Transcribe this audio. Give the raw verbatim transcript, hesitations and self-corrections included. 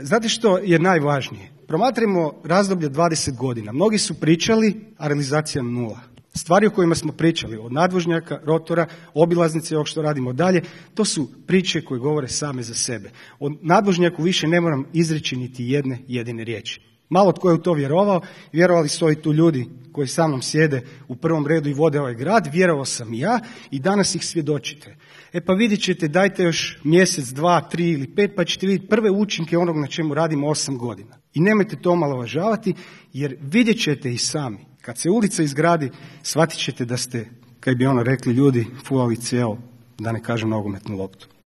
Znate što je najvažnije? Promatrimo razdoblje dvadeset godina. Mnogi su pričali, a realizacija nula. Stvari o kojima smo pričali, od nadvožnjaka, rotora, obilaznice, ovog što radimo dalje, to su priče koje govore same za sebe. O nadvožnjaku više ne moram izreći niti jedne jedine riječi. Malo tko je u to vjerovao, vjerovali su ovi tu ljudi koji sa mnom sjede u prvom redu i vode ovaj grad, vjerovao sam i ja i danas ih svjedočite. E pa vidjet ćete, dajte još mjesec, dva, tri ili pet pa ćete vidjeti prve učinke onog na čemu radimo osam godina. I nemojte to omalovažavati jer vidjet ćete i sami. Kad se ulica izgradi, shvatit ćete da ste, kaj bi ono rekli ljudi, fulali cijelo, da ne kažem nogometnu loptu.